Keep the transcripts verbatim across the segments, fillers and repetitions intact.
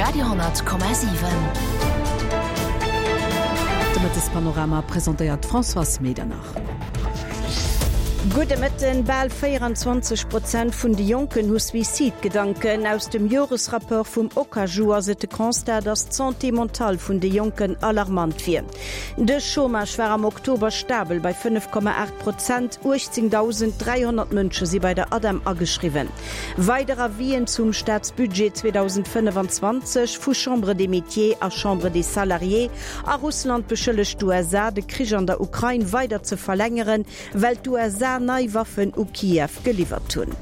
Radio honnert Komma siwen. De Mëttespanorama presentéiert d'Françoise Medernach. Gudde Mëtten, Bal véieranzwanzeg Prozent vun de Jonken hu Suizidgedanken. Aus dem Joresrapport vum Okaju ass et de Constat, datt d'Santé mentale vun de Jonken alarmant wier. De Chômage war am Oktober stabel bei fënnef Komma aacht Prozent, uechtzéngdausend dräihonnert Mënsche si bei der ADEM ageschriwwen. Weider Avisen zum Staatsbudget zweedausendfënnefanzwanzeg vu Chambre des Métiers a Chambre des Salariés. A Russland beschëllegt d'USA, de Krich an der Ukrain weider ze verlängeren, well d'USA nei Waffen u Kiew geliwwert hunn.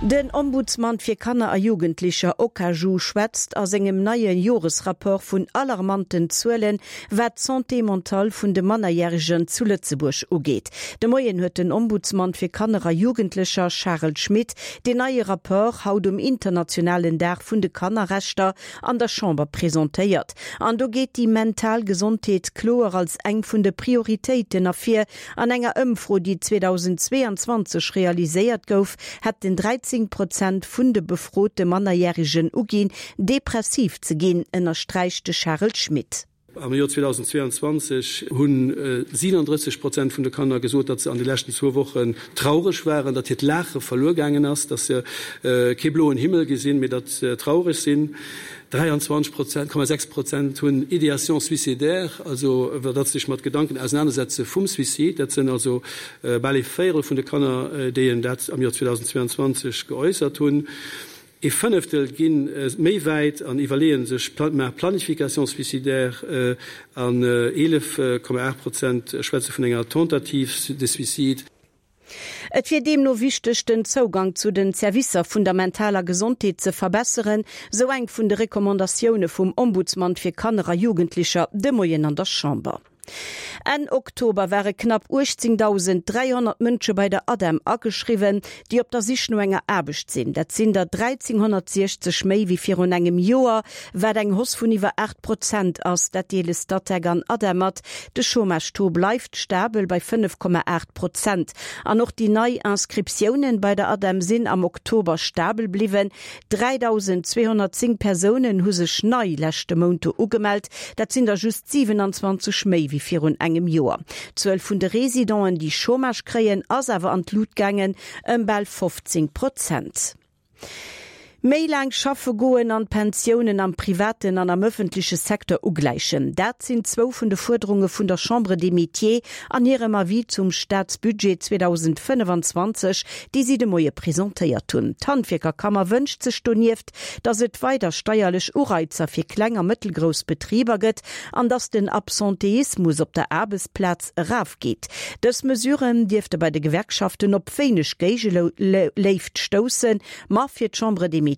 Den Ombudsman fir Kanner a Jugendlecher, Okaju, schwätzt a sengem neie Joresrapport vun alarmanten Zuelen, wat d'Santé mentale vun de Mannerjäregen zu Lëtzebuerg ugeet. De Moien huet den Ombudsman fir Kanner a Jugendlecher, Charel Schmit, deen neie Rapport haut um internationalen Dag vun de Kannerrechter an der Chamber presentéiert. An do geet déi mental Gesondheet kloer als eng vun de Prioritéiten ervir. An enger Ëmfro, déi zweedausendzweeanzwanzeg realiséiert gouf, hätten dräizéng Prozent vun de befrote Mannerjäregen uginn, depressiv ze ginn, ënnersträicht de Charel Schmit. Am Joer zweedausendzweeanzwanzeg hu siewenunddrësseg Prozent vun de Kanner gesot, datt se an de leschten zwou Wochen traureg waren, datt hiert Laache verluer gaangen ass, datt se kee bloen Himmel gesinn, mee datt se traureg sinn. dräianzwanzeg Prozent, Komma sechs Prozent hunn Idéation suicidaire, also datt se sech mat Gedanken ausenanersetze vum Suicide. Dat sinn also bal ee Véierel vun de Kanner, déi en dat am Joer zweedausendzweeanzwanzeg geäussert hunn. Ee Fënneftel gi méi wäit an iwwerleeë sech Planification suicidaire an eelef Komma aacht Prozent schwätze vun enger Tentative de suicide. Et wier deemno wichteg, den Zougang zu den Servicer vun der mentaler Gesondheet ze verbesseren, sou eng vun de Recommandatioune vum Ombudsman fir Kanner a Jugendlecher de Moien an der Chamber. Enn Oktober ware knapp uechtzéngdausend dräihonnert Mënsche bei der ADEM ageschriwwen, déi op der Sich no enger Aarbecht sinn. Dat sinn der dräizénghonnertsiechzeg méi wéi virun engem Joer, wat eng Hausse vun iwwer aacht Prozent ass. Dat deele Statec an ADEM mat. De Chômage-Taux bleift stabel bei fënnef Komma aacht Prozent. An och déi nei Inscriptiounen bei der ADEM sinn am Oktober stabel bliwwen. dräidausendzweehonnertzéng Persounen hu sech nei leschte Mount do ugemellt. Dat sinn der just siwenanzwanzeg méi wéi virun engem Joer. D'Zuel vun de Residenten, déi Chômage kréien, ass awer an d'Lut gaangen, ëm bal fofzéng Prozent. Méi laang schaffe goen an d'Pensiounen am privaten an am ëffentleche Secteur ugläichen, dat sinn zwou vun de Fuerderunge vun der Chambre des Métiers an hirem Avis zum Staatsbudget zweedausendfënnefanzwanzeg, déi si de Moie presentéiert hunn. D'Handwierkerkammer wënscht sech donieft, datt et weider steierlech Ureizer fir kleng a mëttelgrouss Betriber gëtt an datt den Absenteismus op der Aarbechtsplaz erafgeet. Dës Mesuren dierfte bei de Gewerkschaften op wéineg Géigeléift stoussen, ma fir d'Chambre des Métiers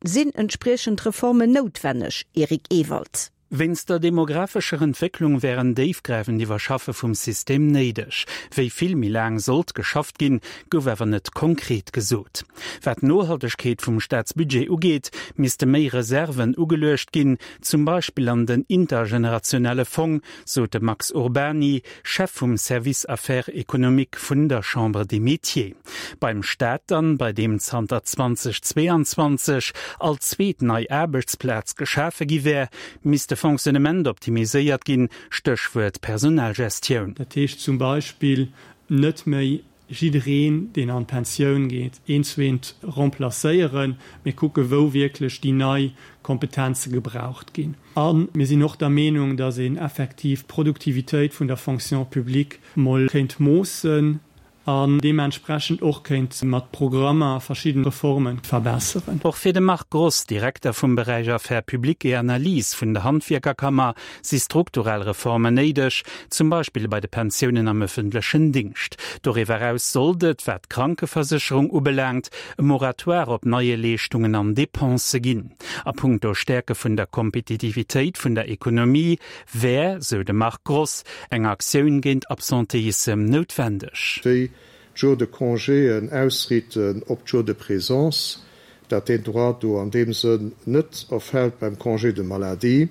sinn entspriechend Reformen noutwenneg, Eric Ewald. Wéinst der demographescher Entwécklung wär en déifgräifend Iwwerschaffe vum System néideg. Wéi vill méi laang sollt geschafft ginn, gouf awer net konkret gesot. Wat d'Nohaltegkeet vum Staatsbudget ugeet, misste méi Reserven ugeluecht ginn, zum Beispill an den intergenerationelle Fong, sot de Max Urbany, Chef vum Service Affaires économiques vun der Chambre des Métiers. Beim Staat dann, bei deem zanter zweedausendzweianzwanzeg all zweet nei Aarbechtsplaz geschafe gi wär, misst de Fonctionnement optimiséiert ginn, Stéchwuert Personalgestioun. Dat heescht zum Beispill net méi jiddereen, deen an d'Pensioun geet, eent zu eent remplacéieren, mee kucke wou wierklech déi nei Kompetenze gebraucht ginn. A mir sinn och der Meenung, datt een effektiv d'Produktivitéit vun der Fonction publique mol kéint moossen an deementsprechend och kéint mat Programmer verschidden Reformen verbesseren. Och fir de Marc Gross, Direkter vum Beräich Affaires publiques et analyses vun der Handwierkerkammer, si strukturell Reformen néideg, zum Beispill bei de Pensiounen am ëffentlechen Dingscht. Doriwwer eraus sollt et, wat d'Krankeversécherung ubelaangt, e Moratoire op neie Leeschtungen an Depensë ginn. A punkto Stäerke vun der Kompetitivitéit vun der Ekonomie wär, sou de Marc Gross, eng Aktioun géint Absenteissem noutwendeg. Déi Jours de congéen ausriiten op d'Jours de présence, dat deen Droit do an deem Sënn net erfält beim Congé de maladie.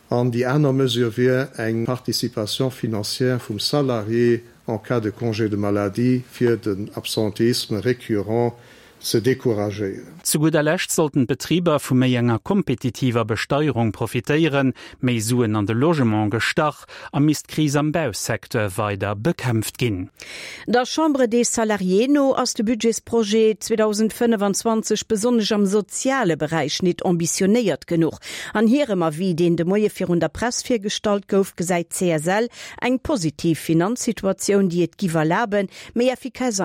An déi aner Mesure wier eng Participation financière vum Salarié en cas de congé de maladie fir den Absentéisme récurrent ze decouragéieren. Zu gudder Lescht sollten d'Betriber vu méi enger kompetitiver Besteierung profitéieren, méi Suen an de Logement gestach a misst d'Kris am Bausecteur weider bekämpft ginn. Der Chambre des Salariés no ass de Budgetsprojet zweedausendfënnefanzwanzeg besonnesch am soziale Beräich nit ambitionéiert genuch. An hirem Avis, deen de Moie virun der Press virgestallt gouf, gesäit d'C S L eng positiv Finanzsituatioun, déi et giff erlaben, méi effikass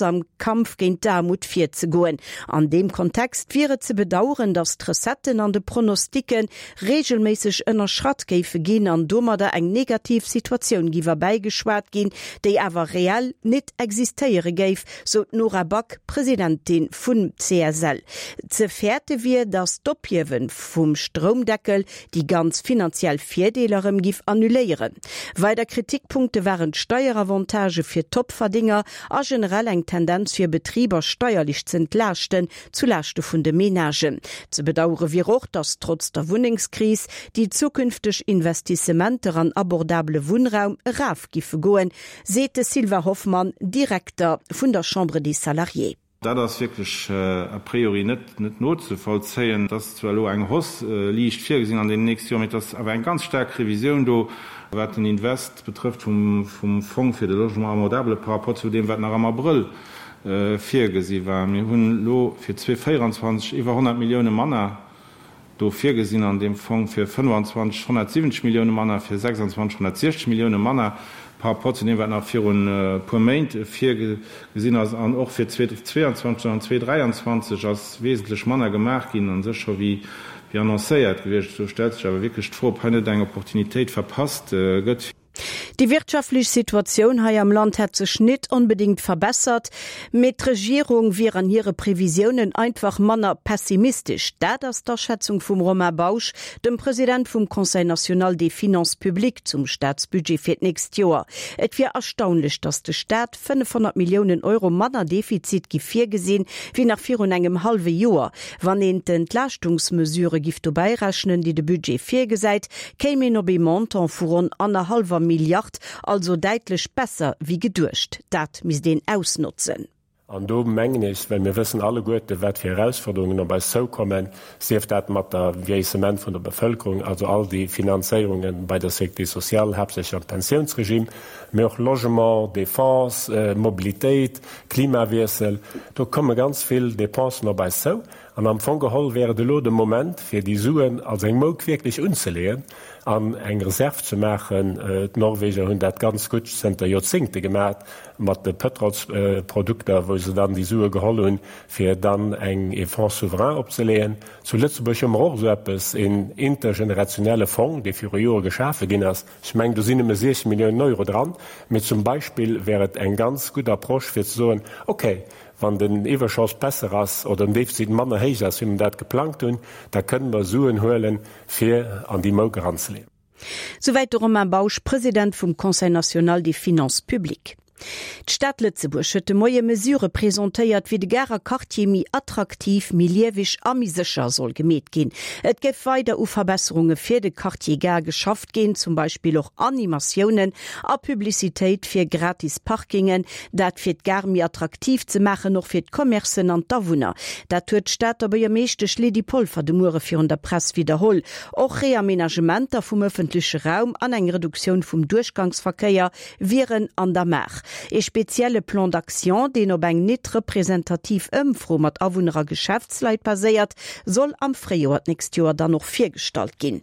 am Kampf géint d'Aarmut virzegoen. An deem Kontext wier et ze bedaueren, datt d'Recetten an de Pronosticke reegelméisseg ënnerschratt géife ginn an domadder eng negativ Situatioun giff erbäigeschwat ginn, déi awer reell nit existéiere géif, sou d'Nora Back, Presidentin vun C S L. Ze fäerte wier, datt d'Ophiewe vum Stroumdeckel déi ganz finanziell Virdeeler erëm giff annuléieren. Weider Kritikpunkte waren d'Steieravantage fir Topverdinger a generell eng Tendenz fir Betriber steierlech ze entlaaschten, zu Laaschte vun de Menagen. Ze bedauere wier och, datt trotz der Wunnengskris déi zukünfteg Investissementer an abordabele Wunnraum eraf giffe goen, seet de Sylvain Hoffmann, Direkter vun der Chambre des Salariés. Dat ass wierklech a priori net net nozevollzéien. Et ass zwar elo eng Hausse liicht virgesinn an deenen nächste Joren, mee et ass awer eng ganz staark Revisioun do, wat den Invest betrëfft vum vum Fonds fir de Logement abordable par rapport zu deem, wat nach am Abrëll virgesi war. Mir hunn elo fir zweevéierundzwanzeg iwwer honnert Millioune manner do virgesinn an deem Fong, fir fënnefanzwanzeg honnertsiwwenzeg Millioune manner, fir sechsandzwanzeg honnertsiechzeg Millioune manner par rapport zu deem, wat nach virun e puer Méint virgesinn ass. An och fir zweetwéianzwanzeg an zweetdräianzwanzeg ass wesentlech manner gemaach ginn a sech scho wéi annoncéiert gewiescht. Do stellt sech awer wierklech d'Fro, ob hei net eng Opportunitéit verpasst gëtt. Déi wirtschaftlech Situatioun hei am Land hätt sech nit onbedéngt verbessert, mee d'Regierung wier an hire Previsiounen einfach manner pessimistesch. Dat ass d'Aschätzung vum Romain Bausch, dem President vum Conseil national des finances publiques zum Staatsbudget fir d'nächst Joer. Et wier erstaunlech, datt de Staat fënnefhonnert Milliounen Euro manner Defizit giff virgesinn, wéi nach virun engem hallwe Joer. Wann een d'Entlaaschtungsmesurë giff dobäi rechnen, déi de Budget virgesäit, kéim een op ee Montant vu ronn annerhallwer Milliard, also däitlech besser wéi geduecht. Dat misst een ausnotzen. An do mengen ech, well mir wëssen alleguerte wat fir Erausforderungen op eis zoukommen, sief dat mat der Vieillissement vun der Bevëlkerung, also all déi Finanzéierunge bei der Sécurité sociale, haaptsächlech am Pensiounsregime, mee och Logement, Défense, Mobilitéit, Klimawiessel, do komme ganz vill Dépensen op eis zou. An am Fong geholl wär et elo de Moment, fir déi Suen als eng Mouk wierklech unzeleeën an eng Reserv ze maachen. D'Norweger hunn dat ganz gutt zënter Joerzéngte gemaach mat de Pëtrolsprodukter, wou se dann déi Sue geholl hunn, fir dann eng ee Fonds souverain opzeleeën. Zu Lëtzebuerg hu mer och esou eppes, een intergenerationelle Fong, dee viru Jore geschafe ginn ass. Ech mengen, do sinn nëmme siechzeg Milliounen Euro dran. Mee zum Beispill wär et eng ganz gutt Approche, fir ze soen, Okay, wann den Iwwerschoss besser ass oder den Defizit manner héich ass, wéi mer dat geplangt hunn, da kënnen mer Suen huelen, fir an déi Mouk eranzeleeën. Souwäit de Romain Bausch, President vum Conseil national des finances publiques. D'Stad Lëtzebuerg huet de Moie Mesurë presentéiert, wéi de Garer Quartier méi attraktiv, méi lieweg a méi sécher soll gemeet ginn. Et géif weider u Verbesserunge fir de Quartier Gare geschafft ginn, zum Beispill och Animatiounen a Publicitéit fir gratis Parkingen, dat fir d'Gare méi attraktiv ze maachen, och fir d'Commercen an d'Awunner. Dat huet d'Stater Buergermeeschtesch Lydie Polfer de Muere virun der Press widderholl. Och Reamenagementer vum ëffentleche Raum an eng Reduktioun vum Duerchgangsverkéier wieren an der Maach. Ee spezielle Plan d'action, deen op eng net representativ Ëmfro mat Awunner a Geschäftsleit baséiert, soll am Fréijoer d'nächst Joer dann och virgestallt ginn.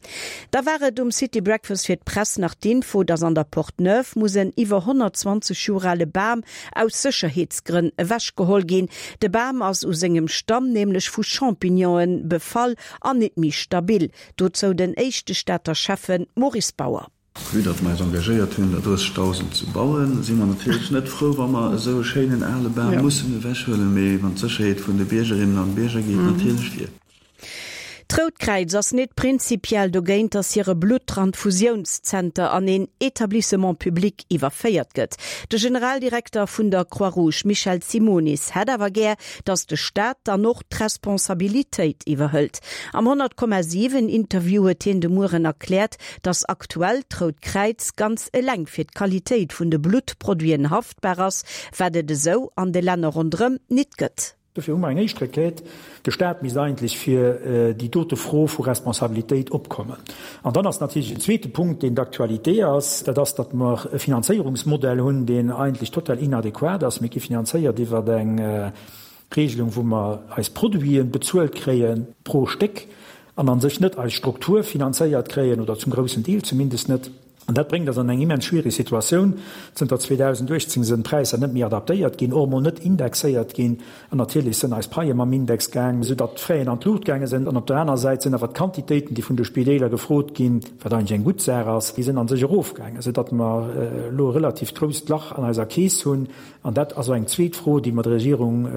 Da war et um City Breakfast fir d'Press nach d'Info, dass an der Porte Neuve muss en iwwer honnertzwanzeg Joer ale Bam aus Sécherheetsgrënn ewechgeholl ginn. De Bam ass u sengem Stamm nämlech vu Champignonen befall an net méi stabil. Dozou den éischte Stater Schäffen Maurice Bauer. Vue datt mer eis engagéiert hunn, der drëssegdausend ze bauen, si mer natierlech net frou, wa mer esou e schéinen ale Bam mussen ewechhuelen, mee wann d'Sécherheet vun de Biergerinnen an Bierger geet natierlech vir. D'Rout Kräiz ass net prinzipiell dogéint, datt hire Bluttranfusiounszenter an een Etablissement public iwwerféiert gëtt. De Generaldirekter vun der Croix-Rouge Michel Simonis hätt awer gär, datt de Staat dann och d'Responsabilitéit iwwerhëlt. Am honnert Komma siwen Interview huet hien de Mueren erkläert, datt aktuell d'Rout Kräiz ganz eleng fir d'Qualitéit vun de Bluttproduiten haftbar ass, wat et esou an de Länner ronderëm nit gëtt. Dofir hu mer eng éischt Requête, De Stat misst eigentlech fir déi dote Fro vu Responsabilitéit opkommen. An dann ass natierlech en zweete Punkt, deen d'actualité ass, dat ass, datt mer e Finanzéierungsmodell hunn, deen eigentlech total inadequat ass. Mir gi finanzéiert iwwer eng Regelung, wou mer eis Produite bezuelt kréie pro Stéck an a sech net eis Struktur finanzéiert kréien, oder zum groussen Deel zumindest net. An dat bréngt eis an eng immens schwierig Situatioun. Zënter zweedausendachtzéng sënn d'Präisser net méi adaptéiert ginn, och emol net indexéiert ginn. An natierlech sënn eis Paie mam Index gaang, soudatt d'Fraien an d'Luucht gaange sënn. An op der aner Säit sënn awer d'Quantitéiten, déi vun de Spideeler gefrot ginn, wat eigentlech eng gutt Saach ass, déi sënn a sech erofgaangen, soudatt mer elo e relativt grousst Lach an eiser Keess hunn. An dat ass och eng zweet Fro, déi mer der Regierung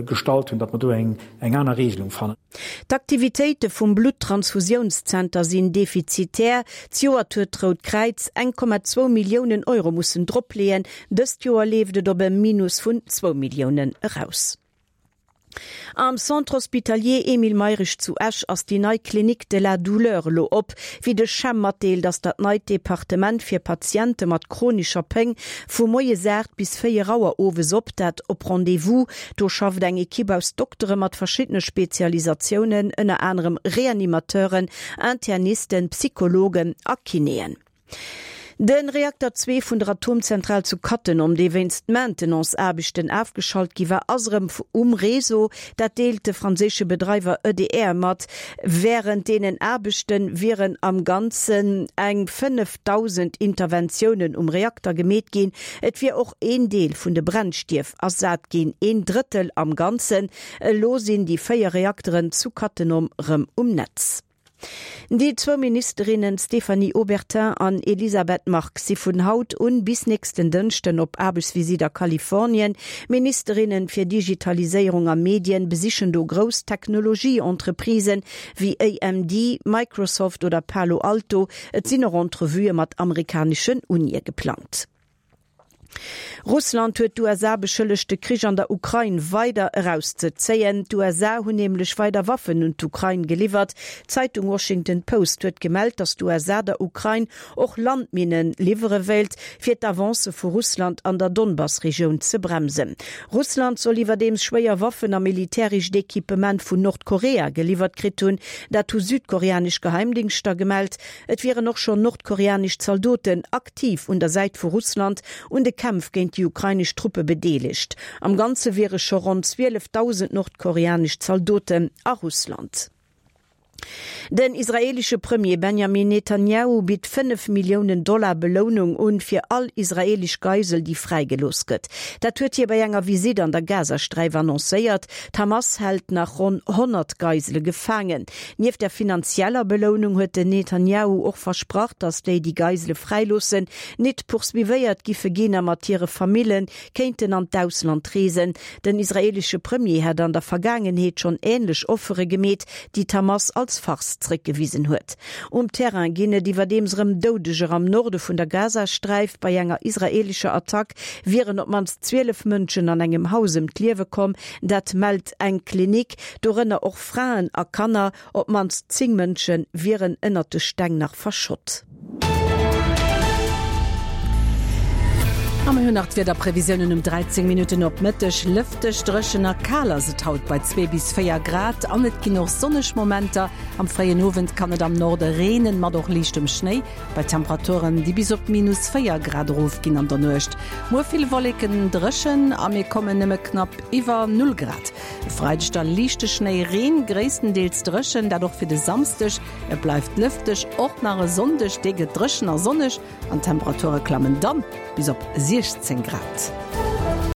gestallt hunn, datt mer do eng aner Regelung fannen. D'Aktivitéite vum Bluttransfusiounszenter sinn defizitär. Zejoert huet d'Rout Kräiz eng Komma zwou Milliounen Euro mussen dropleeën. Dëst Joer leeft et op e Minus vun zwou Milliounen eraus. Am Centre hospitalier Emile Mayrisch zu Esch ass déi nei Clinique de la douleur elo op. Wéi de CHEM matdeelt, ass dat neit Departement fir Patiente mat chronescher Péng vu moies aacht bis véier Auer owes op, dat op Rendez-vous. Do schafft eng Ekipp aus Doktere mat verschiddene Spezialisatiounen, ënner anerem Reanimateuren, Internisten, Psychologen a Kinéen. De Reakter zwee vun der Atomzentral zu Cattenom, dee wéinst Maintenance-Aarbechten afgeschalt gi war, ass erëm um Réseau. Dat deelt de franséische Bedreiwer E D R mat. Wärend deenen Aarbechte wieren am Ganzen eng fënnefdausend Interventiounen um Reakter gemeet ginn. Et wier och een Deel vun de Brennstief ersat ginn, een Drëttel am Ganzen. Elo sinn déi véier Reakteren zu Cattenom erëm um Netz. Déi zwou Ministerinnen Stéphanie Obertin an Elisabeth Margue si vun haut un bis nächsten Dënschden op Aarbechtsvisitt a Kalifornien. D'Ministerinnen fir Digitaliséierung a Medien besichen do grouss Technologie-Entreprisen wéi A M D, Microsoft oder Palo Alto. Et sinn och Entrevuë mat amerikaneschen Unie geplangt. Russland huet d'U S A beschëllegt, de Krich an der Ukrain weider erauszezéien. D'U S A hunn nämlech weider Waffen un d'Ukrain geliwwert. D'Zeitung Washington Post huet gemellt, datt d'U S A der Ukrain och Landminne liwwere wéilt, fir d'Avancë vu Russland an der Donbass-Regioun ze bremsen. Russland soll iwwerdeems schwéier Waffen a militärescht Equipement vun Nordkorea geliwwert kritt hunn. Dat hu südkoreanesch Geheimdingschter gemellt. Et wieren och schonn nordkoreanesch Zaldoten aktiv un der Säit vu Russland un de Kämpf géint déi ukrainesch Truppe bedeelegt. Am Ganze wiere scho ronn zwielefdausend nordkoreanesch Zaldoten a Russland. Den israeelesche Premier Benjamin Netanjahu bitt fënnef Milliounen Dollar Belounung un, fir all israeelesch Geisel, déi fräigelooss gëtt. Dat huet hie bei enger Visitt an der Gazasträif annoncéiert. D'Hamas hält nach ronn honnert Geisele gefaangen. Nieft der finanzieller Belounung huet den Netanjahu och versprach, datt déi, déi Geisele fräiloossen, net poursuivéiert giffe ginn a mat hire Famille kéinten an d'Ausland reesen. Den israeelesche Premier hat an der Vergaangenheet schonn änlech Offere gemeet, déi d'Hamas als Farce zréckgewisen huet. Um Terrain ginn et iwwerdeems erëm Doudeger am Norde vun der Gazasträif. Bei enger israeelescher Attack wieren op d'mannst zwielef Mënschen an engem Haus ëm d'Liewe komm, dat mellt eng Klinik, dorënner och Fraen a Kanner. Op d'mannst zéng Mënsche wieren ënnert de Steng nach verschott. A mir hunn nach d'Wiederprevisiounen um dräizéng Minutten op Mëtteg. Lëfteg, dréchen a kal ass et haut bei zwee bis véier Grad an et ginn och sonneg Momenter. Am fréien Owend kann et am Norde reenen, mat och liichtem Schnéi, bei Temperaturen, déi bis op minus véier Grad erofginn an der Nuecht. Muer vill Wolleken, dréchen a mir kommen nëmme knapp iwwer null Grad. E Freideg da liichte Schnéi, Reen, gréisstendeels dréchen, dat och fir de Samsdeg. Et bleift lëfteg, och nach e Sonndeg, dee gëtt dréchen a sonneg an d'Temperature klammen dann bis op siechzéng Grad.